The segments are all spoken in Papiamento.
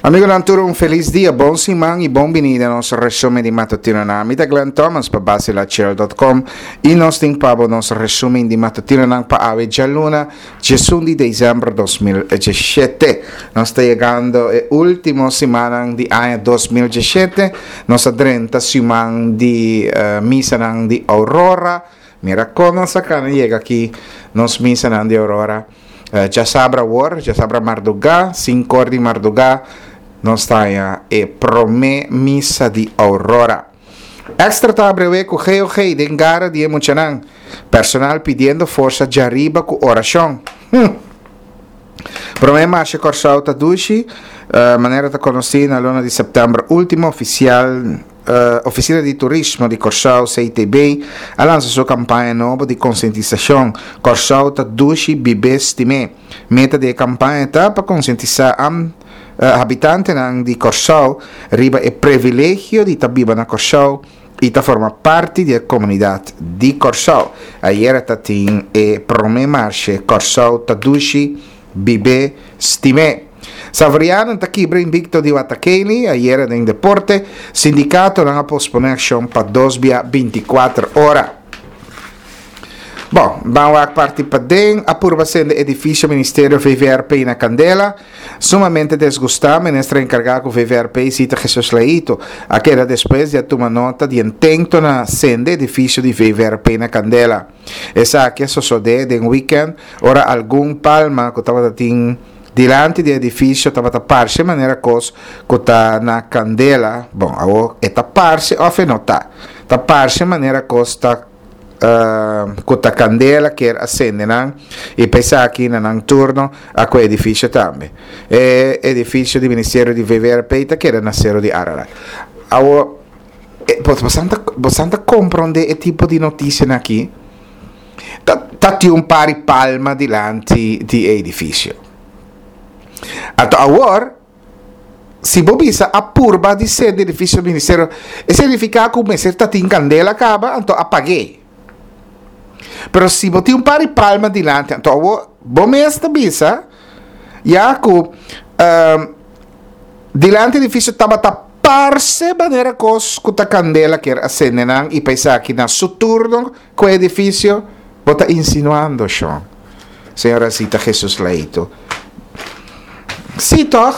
Amigonan tur un felis dia, bon siman y bon bini den nos resumen di matutinonan. Mi ta Glenn Thomas pa basilachel.com y nos tin pa bo nos resumen di matutinonan pa awe djaluna 11 di december 2017. Nos ta yegando e ultimo simannan di aña 2017. Nos a drenta siman di uh, misanan di Aurora. Mira kon nos a kana yega aki nos misanan di Aurora. Djasabra awor, djasabra mardugá, sinkor di mardugá, nos ta haña e promé misa di Aurora. Extra ta abrewé ku GOG den gara di e muchanan. Personal pidiendo forsa djariba ku orashon. Hm! Promé marshe Kòrsou ta dushi, manera ta konosí na luna di sèptèmber último ofisial Ofisina di Turismo di Kòrsou, CTB, a lansa su kampaña nobo di konsientisashon, Kòrsou ta dushi, bib'é, stim'é. Meta di e kampaña ta pa konsientisá habitantenan di Kòrsou riba e previlegio di ta biba na Kòrsou i ta forma parti di e komunidat di Kòrsou. Ayera ta tin e promé marshe Kòrsou ta dushi, Bib'é, stim'é. Savorianan ta kibra invicto di Watakeli ayera den deporte. Sindicatonan a pospone accion pa dos bia binticuater ora. Bon, ban wak parti paden a purba sende edificio Ministerio VVRP na candela. Sumamente desgusta, minister encarga cu VVRP Zita Jesus Leito a keda despues di a tuma nota di intento na sende edificio di VVRP na candela. Esaki a sosodé den wikènt ora algun palma ku tabata tin dilanti di e edifisio tabata parse manera kos ku ta na kandela, bon awor e ta parse òf e no ta, ta parse manera kos ta ku ta kandela kier a sende nan i pa esaki na nan turno a ku e edifisio tambe. E edifisio di ministerio di VVRP ta keda na Sero di Ararat. Awor. Bosan ta, bosan ta comprende e tipo di noticianan aki? Ta, ta tin un par di palma dilanti di e edificio. Anto awor, si bo bisa a purba di sende edificio di ministerio, e significa cu mester ta tin candela caba, anto a pagué. Pero si bo tin un par di palma dilanti, anto awor bo mes ta bisa, ya cu dilanti edificio tabata Parse manera kos ku ta kandela kier a sende nan i pa esaki na su turno ku e edifisio, bo ta insinuando, shon? Señora Zita Jesus Leito. Sí, tòg?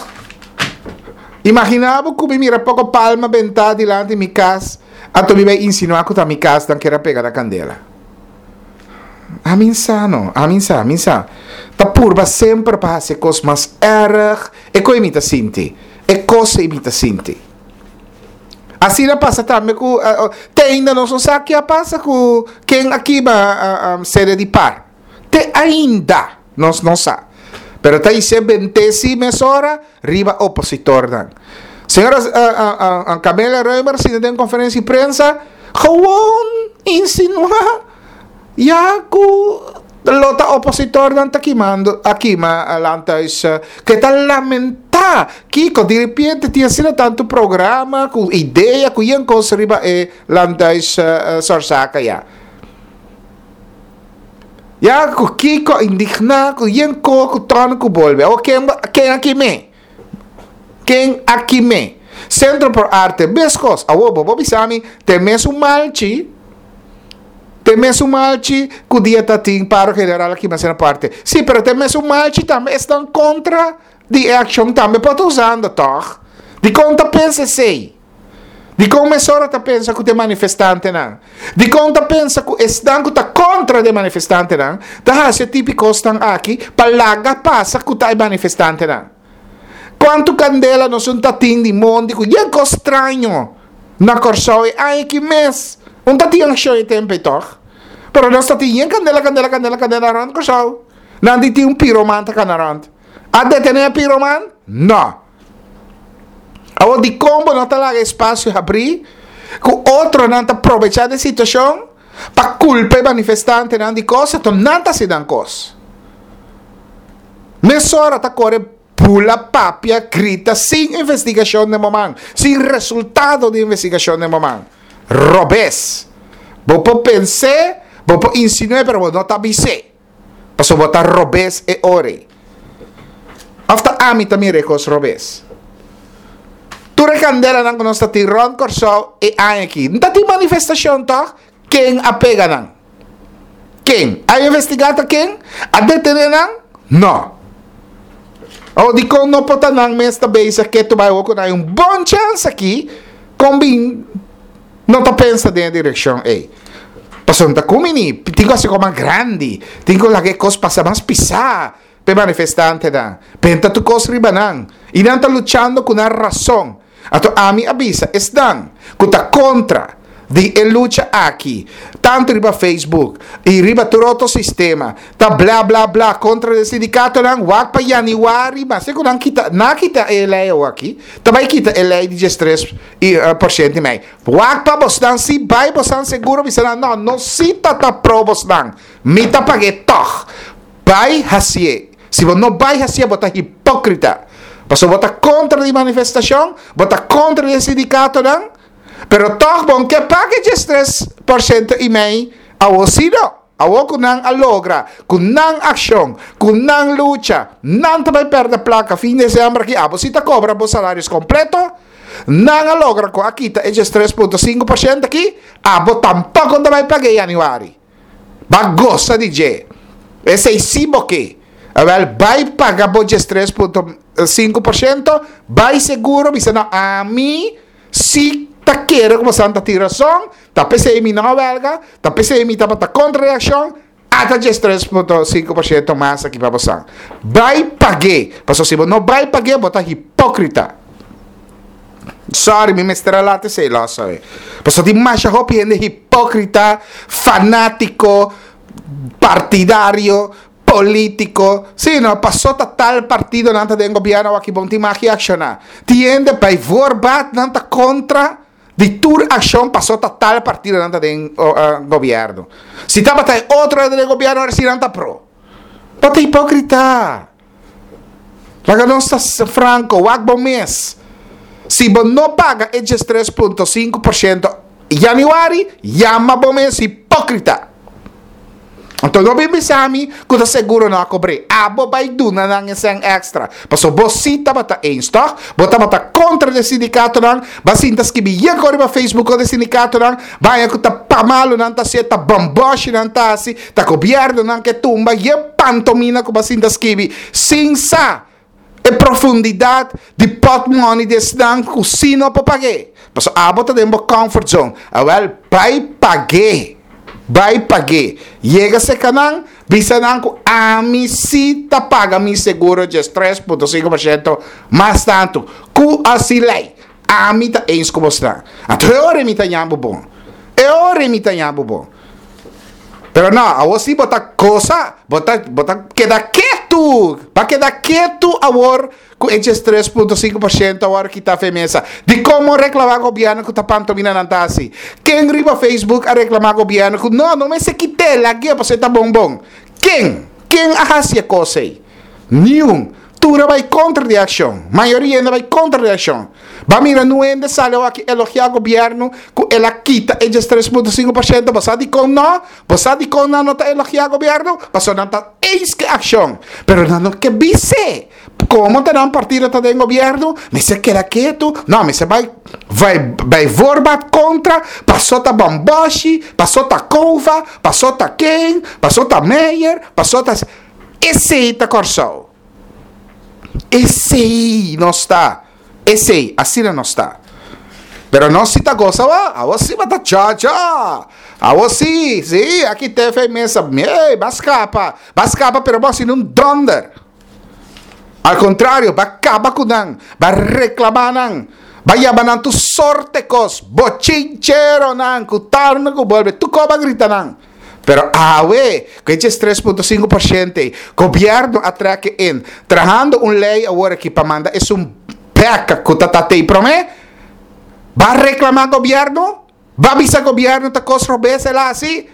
Imaginá bo ku mi mira poko palma bentá dilanti mi kas, anto mi bai insinuá ku ta mi kas nan kier a pega na kandela. Ami sa no, ami sa, mi sa. Ta purba semper pa hasi e kos mas erg, e koe mi ta sinti. E kos ei mi ta sinti. Asina pasa tambe ku te ainda nos no sa ke a pasa ku ken a kiba sede di par. Te ainda nos no sa. Pero ta isé bent'é si mesora riba opositornan. Señora Camelia Römer sinta den konferensia di prensa gewoon insinuá Ya ku lo ta opositornan ta kimando a kima landhuis ke ta lamentá kiko diripiente tin asina tantu programa ku idea ku yen kos riba e landhuis Sorsaka ya. Ya ku kiko indigná ku yen ko ku tòn ku bolbe awor ken ken a kim'é? Ken a kim'é? Centro por Arte meskos awor bo por bisa mi te mesun malchi. Te mesun malchi ku dia ta tin paro general a kima asina parte. Sí, pero te mesun malchi tambe esnan kontra di e akshon tambe por ta usando, tòg? Dikon ta pensa esei? Dikon mesora ta pensa ku ta e manifestantenan? Dikon ta pensa ku esnan ku ta kontra di e manifestantenan ta hasi e tipi kosnan aki pa laga pasa ku ta e manifestantenan? Kuantu kandela nos un ta tin di mondi ku yen kos straño na Kòrsou e aña aki mes? Un ta tin akshon e tempu ei tòg. Pero nos ta tin yen kandela, kandela, kandela, kandela rònt Kòrsou. Nan di tin un piroman ta kana rònt. A detené e piroman? Nò. Awor dikon bo no ta laga espasio habrí ku otronan ta probechá di e situashon pa kulpa e manifestantenan di kos anto nan ta hasi nan kos? Mesora ta kore bula, papia, grita sin investigashon den bo man, sin resultado di investigashon den bo man. Robes! Bo por pens'é, bo por insinu'é, pero bo no ta bis'é. Pasobra bo ta robes e ora ei. Òf ta ami ta mira e kos robes? Tur e kandelanan ku nos ta tin rònt Kòrsou e aña aki, no ta tin manifestashon tòg? Ken a pega nan? Ken? A investigá ta ken? A detené nan? No. Awor dikon no por ta nan mes ta bezig ke tu bai awor ku nan hay un bon chèns aki kon bin no ta pensa den e direkshon ei? Pasobra no ta kumini, tin ku hasi kos mas grandi, tin ku laga e kos pasa mas pisá p'e manifestantenan, benta tur kos riba nan, i nan ta luchando ku nan rason. Anto ami a bisa esnan ku ta kontra di e lucha aki, tantu riba Facebook i riba tur otro sistema, ta bla bla bla kontra di e sindikatonan, wak pa yanüari, maske ku nan kita, nan a kita e lei awaki, ta bai kita e lei di diestres i por shento i mei. Wak pa bosnan si bai bosnan seguro bisa nan, no, nos si ta ta pro bosnan, mi ta pag'é tòg. Bai hasié. Si bo no bai hasié bo ta hipókrita. Pasobra bo ta kontra di manifestashon, bo ta kontra di e sindikatonan, pero tòg bo no ke paga e diestres por shento i mei awor si no. Awor ku nan a logra ku nan akshon, ku nan lucha, nan ta bai pèrdè plaka fin desèmber aki, abo si ta kobra bo salarios kompleto, nan a logra ku a kita e 13.5% aki, abo tampoko no ta bai paga e yanüari. Ba gosa di dje. Esei si bo ke. Awel, bai paga bo 13.5%, bai seguro bisa no, ami si ta kere ku bosan ta tin rason, ta p'esei mi no a welga, ta p'esei mi tabata kontra e akshon, ata 13.5% mas aki pa bosan. Bai pag'é, pasobra si bo no bai pag'é bo ta hipókrita. Sorry, mi mester a laat esei los awe. Pasobra tin masha hopi hende hipókrita, fanátiko, partidario, polítiko. Sí, no, paso ta tal partido nan ta den gobièrnu awor aki bon tin mag reakshoná. Tin hende by voorbaat nan ta kontra di tur akshon paso ta tal partido nan ta den gobièrnu. Si tabata e otro den gobièrnu awor si nan ta pro. Bo ta hipókrita. Laga nos ta franco, wak bo mes. Si bo no paga e 13.5% januari, yama bo mes hipocrita. Anto no bin bisa mi ku ta seguro no a kobr'é. Abo bai duna nan e sèn èkstra. Pasobra bo sí tabata eens, tòg? Bo tabata kontra di e sindikatonan, bo a sinta skibi yen kos riba Facebook kontra e sindikatonan, bo a haña ku ta pa malu nan ta hasié, ta bòmbòshi nan ta hasi, Ta gobiernonan ke tumba ye pantomina ku bo a sinta skibi sin sa e profundidad di potmoni di esnan ku si no por pag'é. Pasobra abo ta den bo comfort zone. Awel, bai pag'é. Bai pag'é. Yega serka nan, bisa nan ku ami si ta paga mi seguro 13.5% mas tantu ku a si lei. Ami ta eens ku bosnan. Anto e ora mi ta ña bo bon. E ora mi ta ña bo bon. Pero no, awor si bo ta gosa, bo ta, bo ta keda ketu. Bo a keda ketu awor ku e 13.5% awor kita fe mesa. Dikon bo reklamá gobièrnu ku ta pantomina nan ta hasi? Ken riba Facebook a reklamá gobièrnu ku no, no mester kit'é, lag'é pasobra e ta bon bon? Ken? Ken a hasi e kos ei? Niun. Tur a bai kontra di e akshon. Mayoria hende a bai kontra di e akshon. Ba mira nu hende sali awaki elogiá gobièrnu ku el a kita e 13.5%. Bo sa dikon no? Bo sa dikon nan no ta elogiá gobièrnu? Pasobra nan ta eens ku e akshon. Pero nan no ke bis'é. Komo ta nan partido ta den gobièrnu, mester keda ketu. No, mester bai bai bai voorbaat kontra, paso ta bòmbòshi, paso ta Cova, paso ta ken, paso ta Meijer, paso ta. Esei ta Kòrsou. Esei nos ta. Esei, asina nos ta. Pero nos si ta gosa awor. Awor si bo ta chòchò. Awor si, si, aki TV mesa. Ey, ba skapa. Ba skapa pero bo a sinti un dònder. Al kontrario, ba kaba ku nan. Ba reklamá nan. Ba yama nan tur sorte kos. Bochincheronan ku tarna ku bolbe. Tur kos ba grita nan. Pero awe, ku e 13.5% ei, gobièrnu a trek e in, trahando un lei awor aki pa manda esun bèk ku ta tat'ei promé, ba reklamá gobièrnu? Ba bisa gobièrnu ta kos robes el a hasi?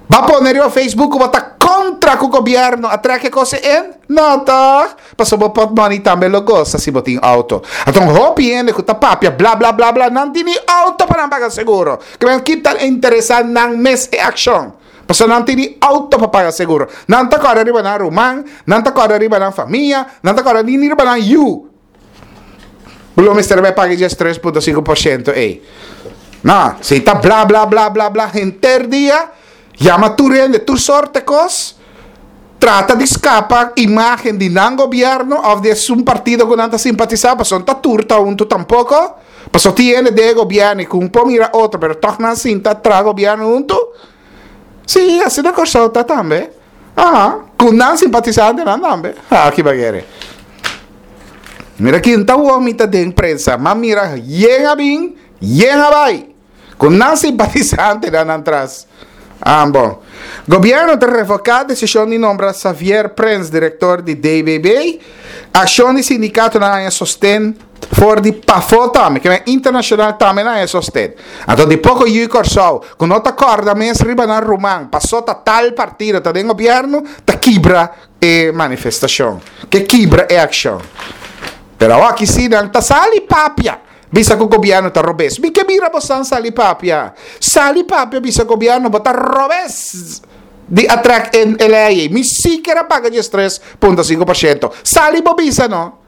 Ba pone riba Facebook ku bo ta kontra ku gobièrnu a trek e kos ei in? No tòg? Pasobra bo pòtmòni tambe lo gosa si bo tin outo. Anto hopi hende ku ta papia bla bla bla bla nan tin ni outo pa nan paga seguro. Ke men ki ta interesá nan mes e akshon? Pasobra nan tin ni outo pa paga seguro. Nan ta kòrda riba nan ruman, nan ta kòrda riba nan famia, nan ta kòrda ni riba nan yu. Bo lo mester bai paga e 13.5% ei. No, si ta bla bla bla bla bla henter dia, yama tur hende tur sorte kos, trata di skapa imagen di nan gobierno of di esun partido ku nan ta simpatisa, pasobra no ta tur ta huntu tampoko, pasobra tin hende den e gobierno i ku un por mira otro pero tog nan sinta traha gobierno huntu. Sí, asina Kòrsou ta tambe. Aha, ku nan simpatisantenan tambe. Ha, ki bagere. Mira kin ta wou mi ta den prensa, m'a mira yen a bin, yen a bai. Ku nan simpatisantenan nan tras. Ah, bon. Gobierno ta revoká desishon di nombra Xavier Prins direktor di DBB. Akshon di sindikatonan haña sosten for di pafó tambe, ke men internashonal tambe nan haña sosten. Anto di poko yu Kòrsou ku no ta kòrda mes riba nan ruman pasó ta tal partido ta den gobièrnu ta kibra e manifestashon, ke kibra e akshon. Pero awor si nan ta sali papia bisa ku gobièrnu ta robes. Mi ke mira bosan sali papia. Sali papia bisa gobièrnu bo ta robes di a trèk e lei ei. Mi si ker a paga 13.5%. Sali bo bisa no.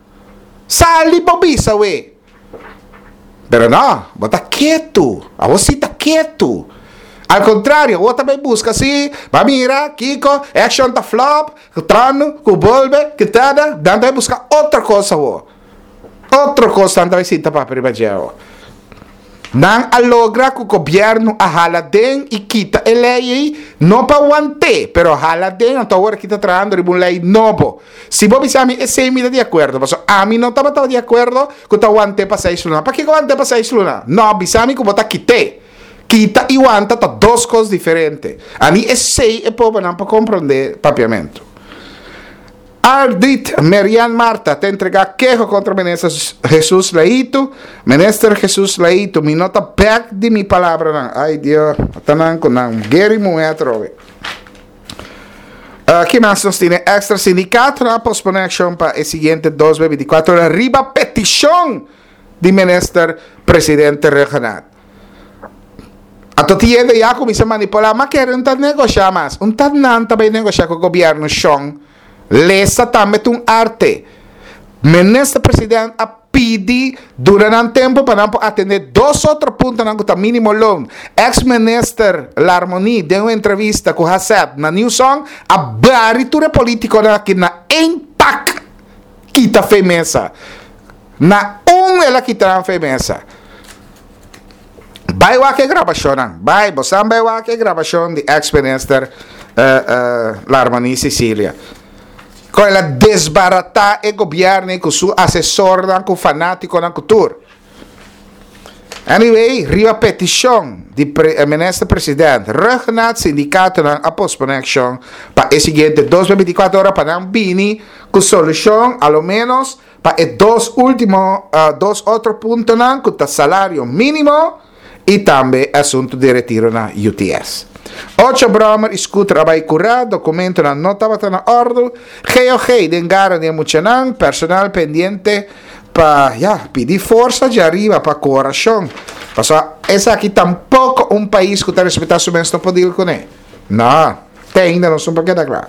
Sali bo bisa we. Pero no, bo ta ketu. Awor si ta ketu. Al contrario, awor ta bay busca si, ba mira, kiko, action ta flop, ku tranu, ku bolbe, ku tada, dan ta bay busca otro cos awor. Otro cos nan ta bay sinta papia riba dje awor. Nan a logra ku gobièrnu a hala den i kita e lei ei, no pa want'é, pero hala den, anto awor aki ta trahando riba un lei nobo. Si bo bisa mi esei mi ta di akuerdo, pasobra ami no tabata di akuerdo ku ta want'é pa seis luna. Pakiko want'é pa seis luna? No, bisa mi ku bo ta kit'é. Kita i wanta ta dos kos diferente. Ami esei e pobernan por komprondé papiamentu. Ardit Merian Martha ta entregá keho kontra Minister Jesus Leito. Minister Jesus Leito, mi no ta bèk di mi palabranan. Ai Dios, ta nan ku nan geri muhé atrobe. Uh, ki mas nos tine? Extra sindikatonan a posponé akshon pa e siguiente dos be 24 ora riba petishon di Minister Presidente Rhuggenaath. Anto tin hende ya kuminsá manipulá, ma kere un ta negoshá mas. Un ta nan ta bai negoshá ku gobièrnu shon. Lesa tambe ta un arte. Minister President a pidi duna nan tempu pa nan por atendé dos otro puntonan ku ta mínimo loon. Eks minister Larmonie den un entrevista ku Haseth na Nieuwsong a bari tur e polítikonan aki na één pak kita fe mesa. Na un el a kita nan fe mesa. Bai wak e grabashonnan. Bai, bosan bai wak e grabashon di ex minister Larmonie Cecilia. Kon el a desbaratá e gobièrnu ku su asesornan, ku fanátikonan, ku tur. Anyway, riba petishon di minister president Rhuggenaath, sindikatonan a posponé akshon pa e siguiente 2024 ora pa nan bini ku solushon, a lo ménos Pa e dos ultimo dos otro puntonan cu ta salario minimo y tambe e asunto di retiro na UTS. Ocho brommer y scooter a bay cura, documentonan no tabata na ordo, GOG den gara di e muchanan, personal pendiente pa ya pidi forsa dje ariba pa cohoracion. Pasobra esaki tampoco un pais cu ta respeta su mes no por deal cune. No, te ainda nos no por keda cla.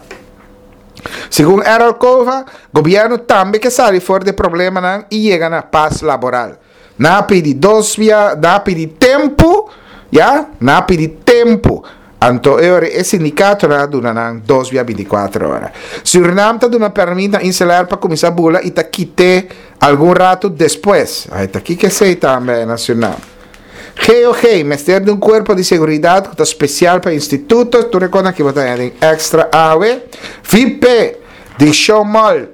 Segun Errol Cova, gobièrnu tambe ke sali for di e problemanan i yega na pas laboral. Nan a pidi dos bia, nan a pidi tempu, ya, nan a pidi tempu. Anto e ora e sindikatonan a duna nan dos bia bintikuater ora. Surinam ta duna pèrmit na Inselair pa kuminsá bula i ta kit'é algun ratu despues. Ai ta kiko esei tambe na Surinam? GOG mester di un cuerpo di seguridad cu ta special pa instituto, tur e cosnan aki bo ta haña den extra awe. VP di Show Mall,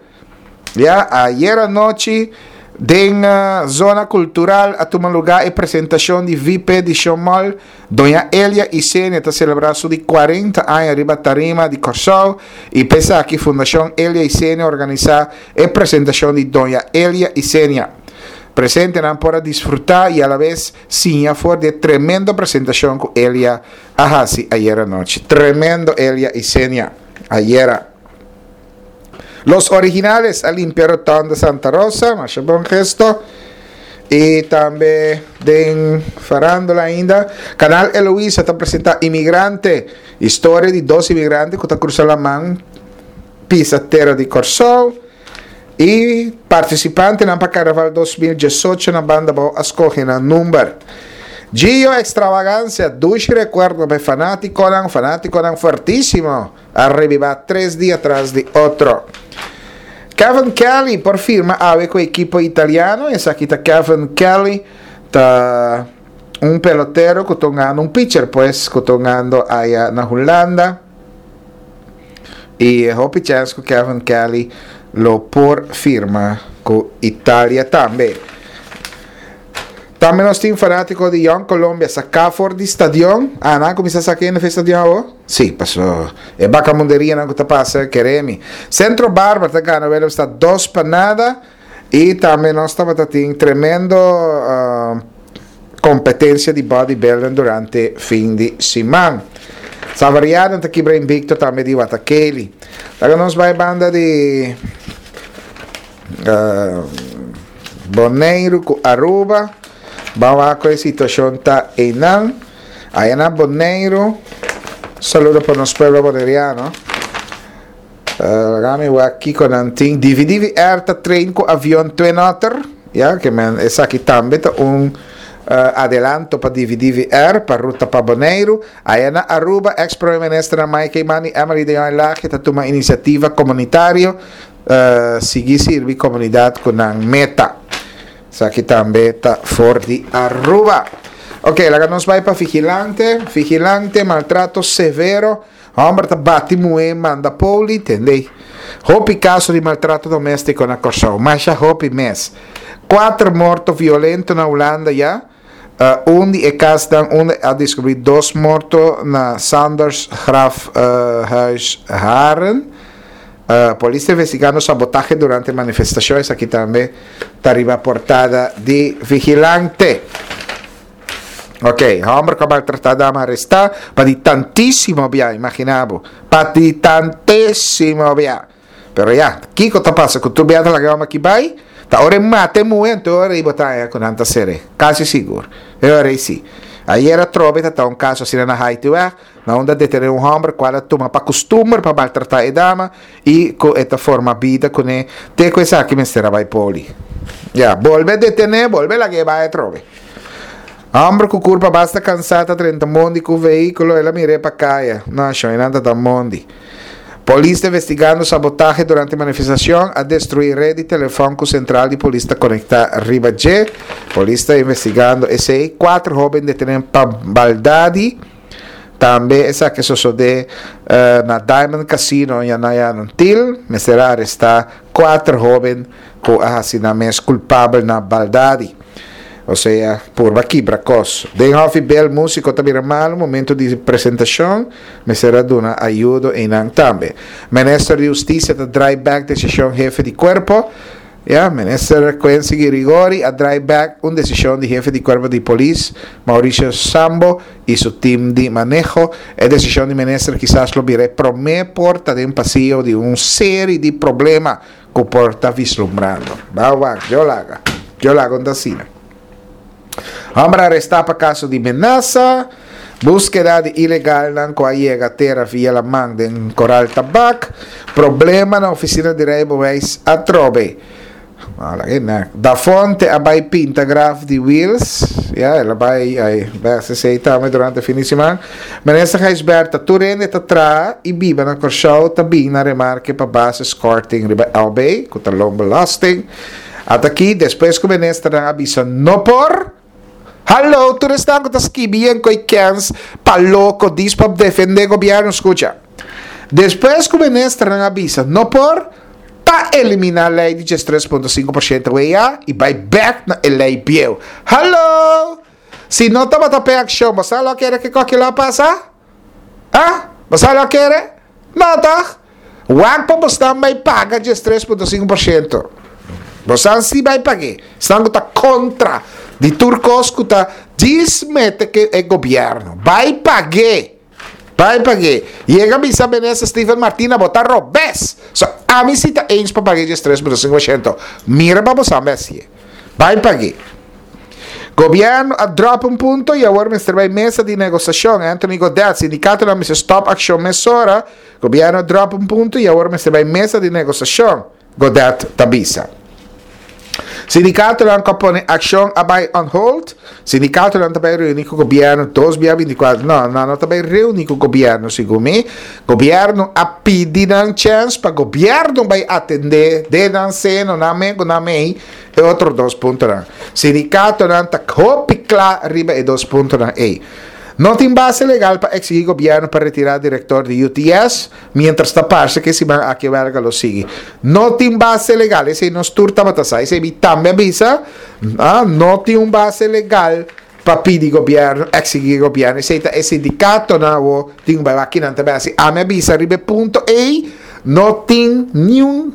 ya, ayer anochi den zona cultural a tuma lugar e presentacion di VP di Show Mall, Doña Elia Isenia ta celebra su di 40 aña riba tarima di Corsou y p'esaki Fundacion Elia Isenia a organisa e presentacion di Doña Elia Isenia. Presentenan por a disfrutá i alabes siña for di e tremendo presentashon ku Elia a hasi ayera nochi. Tremendo Elia i Senia ayera. Los Originales a limpia Rotonda Santa Rosa, masha bon gesto. I tambe den farándula ainda, Canal Eloisa ta presentá Inmigrante, historia di dos inmigrante ku ta krusa laman pisa tera di Kòrsou. I partisipantenan pa Karnaval 2018 na Banda Bou a skohe nan number. Gio Extravagancia, dushi rekuerdo pa e fanátikonan, fanátikonan fuertísimo a rebibá tres dia tras di otro. Kevin Kelly por firma awe ku ekipo italiano, esaki ta Kevin Kelly ta un pelotero ku ta hungando, un pitcher pues, ku ta hungando aya na Hulanda. I e hopi chèns ku Kevin Kelly lo por firma ku Italia tambe. Tambe nos tin fanátiko di Jong Colombia saká for di stadion. Ah, nan a kuminsá saka hende for di stadion awo? Sí, paso e bakamunderianan ku ta pasa kere mi. Centro Barber ta gana Willemstad 2-0. I tambe nos tabata tin tremendo kompetensia di bodybuilding durante fin di siman. Savarianan ta kibra invicto tambe di Watakeli. Laga nos bai banda di Boneiru ku Aruba. Ban wak ku e situashon ta einan. Aya na Boneiru, saludo pa nos pueblo boneriano. Laga mi wak kiko nan tin. Divi Divi Air ta train ku avion Twin Otter. Ya, ke men esaki tambe ta un adelanto pa Divi Divi Air pa ruta pa Boneiru. Aya na Aruba, ex Prome Ministernan Mike Eman i Emily de Jong Lage ta tuma inisiativa komunitario sigui sirbi komunidat ku nan meta. Esaki tambe ta for di Aruba. Ok, laga nos bai pa Vigilante. Vigilante, maltrato severo. Homber ta bati muhé manda poli, tende. Hopi kaso di maltrato doméstiko na Kòrsou, masha hopi mes. Kuater morto violento na Hulanda ya. Un di e kasnan unda a deskubrí dos morto na Sanders Graf Huis Haren. Polis ta investigando sabotahe durante manifestashon, esaki tambe ta riba portada di Vigilante. Ok, homber ku a maltratá dama arestá pa di tantísimo bia, imaginá bo, pa di tantísimo bia. Pero ya, kiko ta pasa ku tur bia ta laga e homber aki bai? Ta ora e mata e muhé, anto e ora ei bo ta haña ku nan ta ser'é, kasi sigur. E ora ei si. Ayer atrobe ta ta un kaso asina na Haitiweg, na unda a detené un homber kual a tuma pa kustumber pa maltratá e dama i ku e ta forma bida kuné te ku esaki mester a bai poli. Ya, bolbe detené, bolbe lag'é bai atrobe. Homber ku kurpa basta kansá ta drenta mondi ku vehíkulo, el a mir'é pa kaya. No, shon, einan ta ta mondi. Polis ta investigando sabotahe durante manifestashon, a destruí red di telefòn ku sentral di polis ta konektá riba dje. Polis ta investigando esei. Kuater hóben detené pa baldadi. Tambe esaki a sosodé na Diamond Casino Yanaya Nantil. Mester a arestá kuater hóben ku a hasi nan mes kulpabel na baldadi. Osea, purba kibra kos. Den Hòfi Bel músiko ta bira malu momentu di presentashon, mester a duna ayudo einan tambe. Minister di Hustisia ta drai bèk desishon hefe di kuerpo. Ya, Minister Quincy Girigori a drai bèk un desishon di hefe di kuerpo di polis, Mauricio Sambo, i su tim di maneho. E desishon di minister kisas lo bira e promé porta den pasio di un seri di problema ku por ta vislumbrando. Ba wak, yo laga. Yo laga un ta asina. Homber arestá pa kaso di menasa, búskeda di ilegalnan ku a yega tera via laman den Koral Tabak, problema na ofisina di rijbewijs atrobe. Da Fonte a bai pinta graf di Wiels. Ya, el a bai ai bes esei tambe durante fin di siman. Minister Gijsbertha, tur hende ta traha i biba na Kòrsou ta bin na remarke pa basiskorting riba LB, ku ta loonbelasting. Ata aki, despues ku ministernan a bisa no por, hallo, tur esnan ku ta skibi yen koe kens pa loko dis pa defende gobièrnu, skucha. Despues ku ministernan a bisa no por, ta eliminá lei di 13.5% WA i bai bèk na e lei bieu. Hallo! Si no tabata p'e akshon, bo sa lo a kere ke koki lo a pasa? Ah? Bo sa lo a kere? No tòg? Wak pa bosnan bai paga 13.5%. Bosnan si bai pag'é. Esnan ku ta kontra di tur kos ku ta djis mete ke e gobièrnu. Bai pag'é! Bai pag'é. Yega bisa Minister Steven Martina bo ta robes. So ami si ta eens pa pag'é 13.5%. Mira pa bo sa mesi'é. Bai pag'é. Gobierno a drop un punto y awor mester bai mesa di negociacion. Anthony Godett, sindicatonan mester stop accion mesora. Gobierno a drop un punto y awor mester bai mesa di negociacion. Godett ta bisa. Sindikatonan ku a pone akshon a bai on hold. Sindikatonan ta bai reuní ku gobièrnu dos bia bintikuater. No, nan no ta bai reuní ku gobièrnu segun mi. Gobièrnu a pidi nan chèns pa gobièrnu bai atendé den nan seno, nan men ku nan mei, e otro dos puntonan. Sindikatonan ta hopi kla riba e dos puntonan ei. No tin base legal pa eksigí gobièrnu pa retirá direktor di UTS. Mientras ta parse ku e siman aki e wèlga lo sigui. No tin base legal, esei nos tur tabata sa. Esei mi tambe a bisa, ah, no tin un base legal pa pidi gobièrnu, eksigí gobièrnu. Esei ta e sindikatonan awo tin ku bai wak kinan ta bai hasi. Ami a bisa riba e punto ei, no tin niun,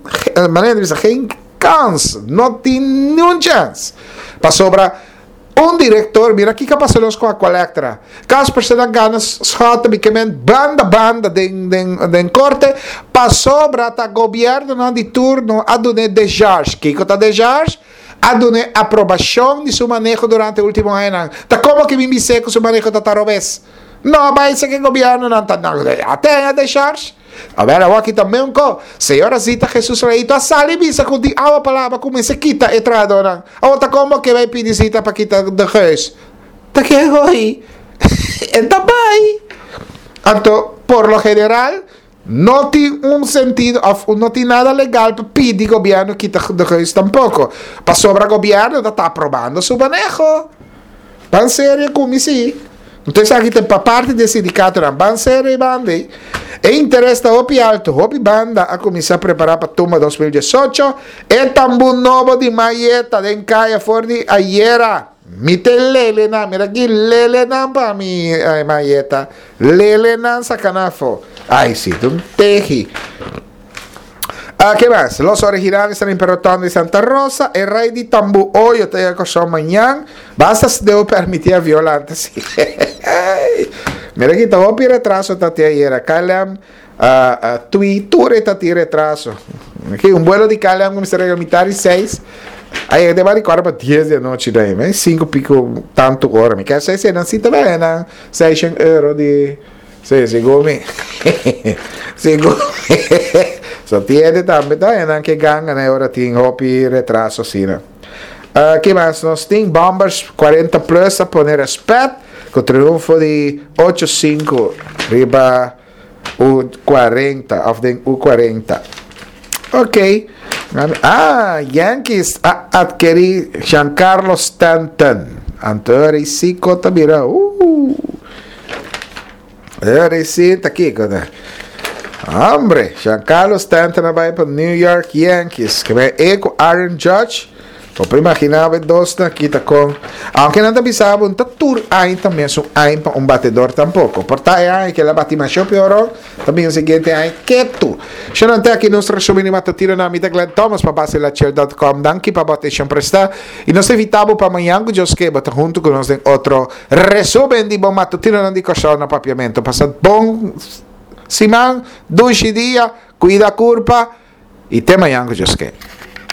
manera di bisa, geen kans, no tin niun chèns. Pasobra. Un director, mira kiko a pasa nos ku Aqualectra. Caspersen a gana Schotten mi ke men banda banda den den den korte pasobra ta gobiernonan di turno a dun'é decharge. Kiko ta decharge? A dun'é aprobashon di su maneho durante ultimo añanan. Ta komo ke mi bis'é ku su maneho ta ta robes? No bai sa ke gobiernonan ta a ten e decharge. Awel awor aki ta meun ko. Señora Zita Jesus Leito a sali bisa ku di awa pa laba ku mester kita e trahadónan. Awor ta kon bo ke bai pidi Zita pa kita de Geus? Ta ke hoi? E ta bai. Anto por lo general no tin un sentido of no tin nada legal pa pidi gobièrnu kita de Geus tampoko. Pasobra gobièrnu ta ta aprobando su maneho. Ban serio ku mi si. Anto esaki ta pa parti di e sindikatonan. Ban serio i banda ei. E interes ta hopi alto. Hopi banda a kuminsá prepará pa Tumba 2018. E tambú nobo di Maye ta den kaya for di ayera. Mi te lele nan. Mira aki lele nan pa mi Maye ta. Lele nan saka nan afó. Ai si, ta un tehi. Ah, ke mas? Los originales ta den Peroton di Santa Rosa. E rei di tambú Oyo ta yega Kòrsou mañan. Basta si debo permití a viola antes. Mira ki ta hopi retraso ta tin ayera. KLM, ah, ah, Tui, tur e ta tin retraso. Aki un vuelo di KLM ku mester yega mitar di seis. A yega den bari kuarto pa dies di anochi dai. Me sinku piko tantu ora. Mi kier sa si nan si ta baya nan seishen euro di. Sí, segun mi. Segun mi. So tiende tambe ta en ke ganga na ora tin hopi retraso asina. Uh, ke mas nos tin? Bombers 40 plus a pone respet ku triunfo di 8-5 riba U40 of den U40. Ok. Ah, Yankees a adquiri Giancarlo Stanton. Anto ora sí kota bira. Ora sí ta kiko ta. Hombre, Giancarlo Stanton a bai pa New York Yankees. Ke bai e ku Aaron Judge. Bo por imaginá bo e dosnan aki ta kon. Aunke nan ta bisa bo no ta tur aña ta mesun aña pa un batedor tampoko. Por ta e aña ke el a bati masha pioró, ta bin e siguiente aña ketu. Shonnan te aki nos resumen di matutino na mi ta Glenn Thomas pa basilachel dot com. Danki pa bo atenshon prestá i nos ta invitá bo pa mañan ku Dios ke bo ta huntu ku nos den otro resumen di bo matutinonan di Kòrsou na Papiamentu. Pasa bon siman, dushi dia, kuida kurpa i te mañan ku Dios ke.